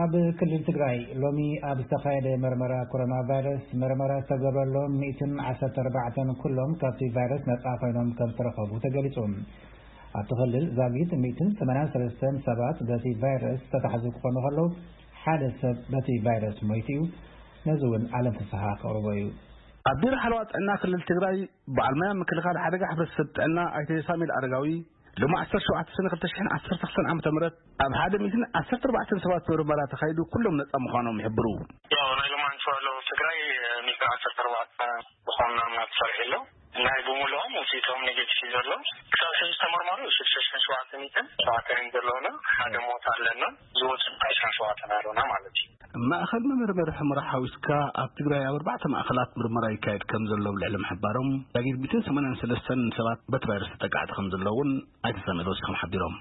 ኣብ ክልል ትግራይ ሎሚ ኣብ ዝተኻየደ መርመራ ኮሮና ቫይረስ መርመራ ዝተገብረሎም ሚእትን ዓሰርተ ኣርባዕተን ኩሎም ካብቲ ቫይረስ ነጻ ኮይኖም ከም ዝተረኸቡ ተገሊጹ። ኣብቲ ክልል ዛጊት ሚእትን ሰማንያን ሰለስተን ሰባት በቲ ቫይረስ ዝተታሕዙ ክኾኑ ከለዉ፣ ሓደ ሰብ በቲ ቫይረስ ሞይቱ እዩ። ነዚ እውን ዓለም ፍስሓ ከቕርቦ እዩ። ኣብ ቢሮ ሓለዋ ጥዕና ክልል ትግራይ በዓል ሞያ ምክልኻል ሓደጋ ሕብረተሰብ ጥዕና ኣይተ ሳሙኤል ኣረጋዊ፣ ሎም ዓሰርተ ሸውዓተ ሰነ ክልተ ሽሕን ዓሰርተ ክልተን ዓመተ ምህረት ኣብ ሓደ ሚእትን ዓሰርተ ኣርባዕተን ሰባት ምርመራ ተኻይዱ ኩሎም ነጻ ምዃኖም ይሕብሩ። ያው ናይ ሎማዓንቲ ባለው ትግራይ ሚእትን ዓሰርተ ኣርባዕተ ዝኾኑ ናሙና ተሰሪሑ ኣሎ። ናይ ብምልኦም ውፅኢቶም ኔጌቲቭ እዩ ዘሎ። ክሳብ ሕዚ ዝተመርመሩ ሽዱሽተ ሽሕን ሸውዓተ ሚእትን ሸውዓተን ዘለውና፣ ሓደ ሞት ኣለና። ዝወፁ ከዓ ዕስራን ሸውዓተን ኣለውና ማለት እዩ። ማእኸል መመርመሪ ሕመራ ሓዊስካ ኣብ ትግራይ ኣብ ኣርባዕተ ማእኸላት ምርመራ ይካየድ ከም ዘሎ ኣብ ልዕሊ ምሕባሮም፣ ዳጊት ሚእትን ሰማንያን ሰለስተን ሰባት በቲ ቫይረስ ተጠቃዕቲ ከም ዘለውን ኣይተ ሳሙኤል ወሲኾም ሓቢሮም።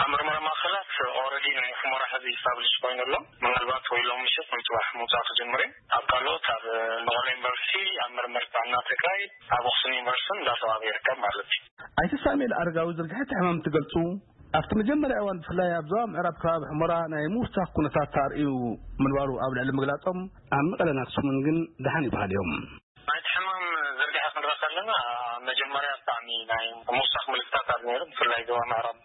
ኣብ ምርመራ ማእኸላት ኦረዲ ናይ ሕመራ ሕዚ ኢስታብሊሽ ኮይኑ ኣሎ። ምናልባት ወይ ሎም ምሸት ወይ ፅባሕ ምውፃእ ክጅምር እዩ። ኣብ ካልኦት ኣብ መቐለ ዩኒቨርሲቲ፣ ኣብ ምርምር ጥዕና ትግራይ፣ ኣብ ኣክሱም ዩኒቨርሲቲ እንዳተዋበ ይርከብ ማለት እዩ። ኣይተ ሳሙኤል ኣረጋዊ ዝርግሐ እቲ ሕማም እንትገልፁ፣ ኣብቲ መጀመርያ እዋን ብፍላይ ኣብ ዞባ ምዕራብ ከባቢ ሕመራ ናይ ምውሳኽ ኩነታት ተርእዩ ምንባሩ ኣብ ልዕሊ ምግላፆም፣ ኣብ መቐለን ኣክሱምን ግን ደሓን ይበሃል እዮም። ናይቲ ሕማም ዝርግሐ ክንርኢ ከለና፣ መጀመርያ ብጣዕሚ ናይ ምውሳኽ ምልክታት ኣሎ ነይሩ፣ ብፍላይ ዞባ ምዕራብ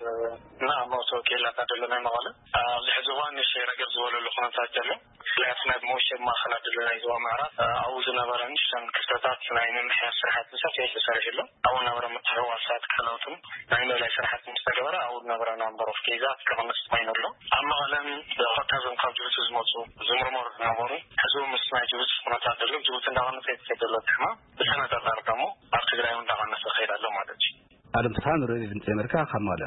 እና ኣብ መእተዊ ኬላታት ዘሎ ናይ መቐለ። ኣብዚ ሕዚ እዋን ንእሽተይ ረገብ ዝበለሉ ኩነታት ዘሎ። ብፍላይ ኣብቲ ናይ መወሸቢ ማእኸላት ዘሎ ናይ ዞባ ምዕራብ፣ ኣብኡ ዝነበረ ንእሽተን ክፍተታት ናይ ምምሕያሽ ስራሕቲ ብሰፊሑ ተሰሪሑ ኣሎ። ኣብኡ ዝነበረ ምትሕውዋሳት ካልኦትን ናይ ምእላይ ስራሕቲ ምስ ተገበረ፣ ኣብኡ ዝነበረ ናምበር ኦፍ ኬዛት ክቕንስ ኮይኑ ኣሎ። ኣብ መቐለን ብቐጥታ እዞም ካብ ጅቡቲ ዝመፁ ዝምርመሩ ዝነበሩ፣ ሕዚ እውን ምስ ናይ ጅቡቲ ኩነታት ዘሎ፣ ጅቡቲ እንዳቐነሰ ይትከድ ዘሎ እቲ ሕማም፣ ብተነፃፃሪ ደግሞ ኣብ ትግራይ እውን እንዳቐነሰ ይኸይድ ኣሎ ማለት እዩ። ኣለም ተስፋ ንርኢ ድምፂ ኣሜሪካ ካብ መቐለ።